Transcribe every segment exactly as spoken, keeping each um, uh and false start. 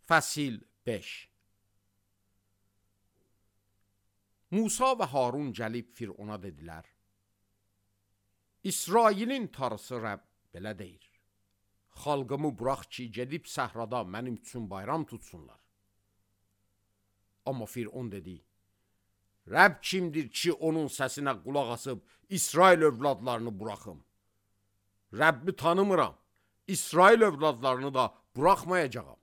Fəsil beş. Musa və Harun gəlib Firona dedilər: İsrailin tarısı Rəbb belə deyir: xalqımı burax ki, gedib səhrada mənim üçün bayram tutsunlar. Amma Firon dedi: Rəbb kimdir ki, onun səsinə qulaq asıb İsrail övladlarını buraxım? Rəbbi tanımıram, İsrail övladlarını da buraxmayacağam.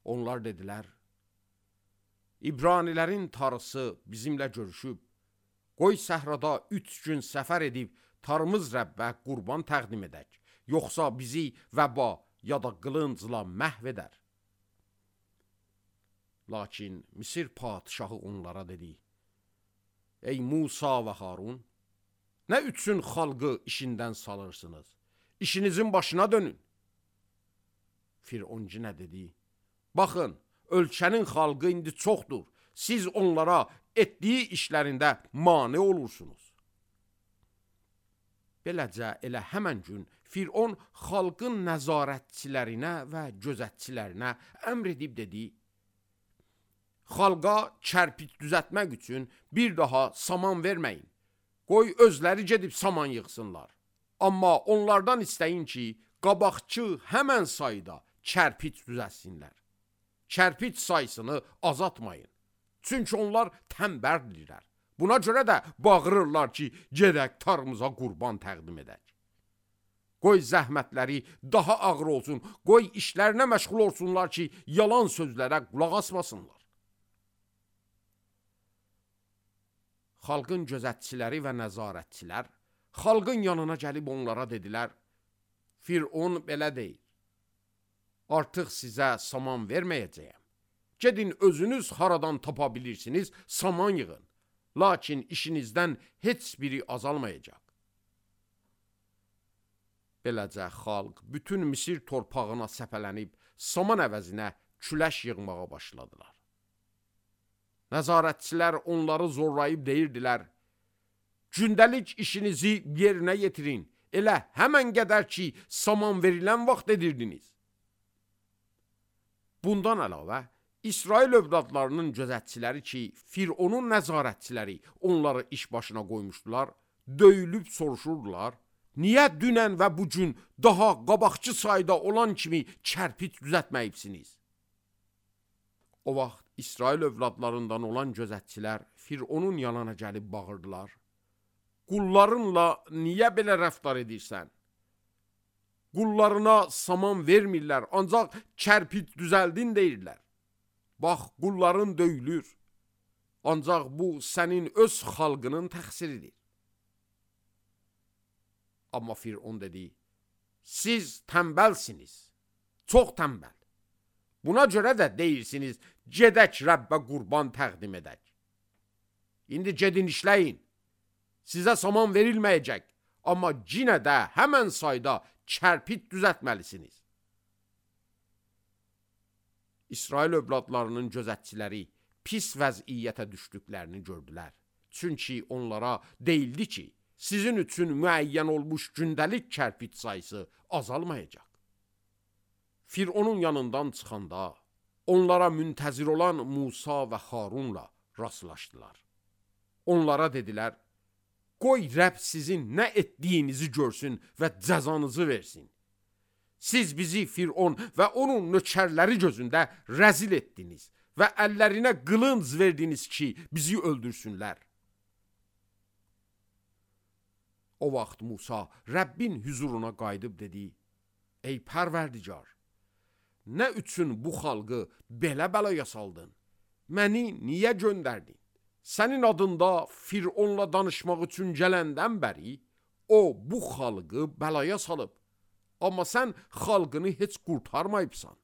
Onlar dedilər: İbranilərin tarısı bizimlə görüşüb, qoy səhrada üç gün səfər edib tarımız Rəbbə qurban təqdim edək, yoxsa bizi vəba ya da qılıncla məhv edər. Lakin Misir padişahı onlara dedi: Ey Musa və Harun, nə üçün xalqı işindən salırsınız? İşinizin başına dönün. Firon nə dedi? Baxın, ölkənin xalqı indi çoxdur. Siz onlara etdiyi işlərində mane olursunuz. Beləcə elə həmən gün Firon xalqın nəzarətçilərinə və gözətçilərinə əmr edib dedi: Xalqa kərpic düzəltmək üçün bir daha saman verməyin. Qoy özləri gedib saman yığsınlar. Amma onlardan istəyin ki, qabaqçı həmən sayda kərpic düzəltsinlər. Kərpic sayısını azaltmayın. Çünki onlar tənbəldirlər. Buna görə də bağırırlar ki, gedək tarımıza qurban təqdim edək. Qoy zəhmətləri daha ağır olsun, qoy işlərinə məşğul olsunlar ki, yalan sözlərə qulaq asmasınlar. Xalqın gözətçiləri və nəzarətçilər xalqın yanına gəlib onlara dedilər: Firon belə deyir: Artıq sizə saman verməyəcəyəm. Gedin özünüz haradan tapa bilirsiniz, saman yığın. Lakin işinizdən heç biri azalmayacaq. Beləcə xalq bütün Misir torpağına səpələnib saman əvəzinə küləş yığmağa başladılar. Nəzarətçilər onları zorlayıb deyirdilər: Gündəlik işinizi yerinə yetirin. Elə həmən qədər ki, saman verilən vaxt edirdiniz. Bundan əlavə, İsrail övladlarının gözətçiləri ki, Fironun nəzarətçiləri onları iş başına qoymuşdular, döyülüb soruşurdular: Niyə dünən və bugün daha qabaqçı sayda olan kimi kərpic düzəltməyibsiniz? O vaxt İsrail övladlarından olan gözətçilər Fironun yanına gəlib bağırdılar: Qullarınla niyə belə rəftar edirsən? Qullarına saman vermirlər, ancaq kərpic düzəldin deyirlər. Bax, qulların döyülür. Ancaq bu sənin öz xalqının təqsiridir. Amma Firon dedi: Siz tənbəlsiniz, çox tənbəl. Buna görə də deyirsiniz, gedək Rəbbə qurban təqdim edək. İndi gedin işləyin. Sizə saman verilməyəcək, amma yenə də həmən sayda kərpic düzəltməlisiniz. İsrail övladlarının gözətçiləri pis vəziyyətə düşdüklərini gördülər. Çünki onlara deyildi ki, sizin üçün müəyyən olmuş gündəlik kərpic sayısı azalmayacaq. Fironun yanından çıxanda onlara müntəzir olan Musa və Harunla rastlaşdılar. Onlara dedilər: Qoy Rəbb sizin nə etdiyinizi görsün və cəzanızı versin. Siz bizi Firon və onun nökərləri gözündə rəzil etdiniz və əllərinə qılınc verdiniz ki, bizi öldürsünlər. O vaxt Musa Rəbbin hüzuruna qayıdıb dedi: Ey Pərverdigar, nə üçün bu xalqı belə bəlaya saldın? Məni niyə göndərdin? Sənin adında Fironla danışmaq üçün gələndən bəri o bu xalqı bəlaya salıb. Amma sən xalqını heç qurtarmayıbsan.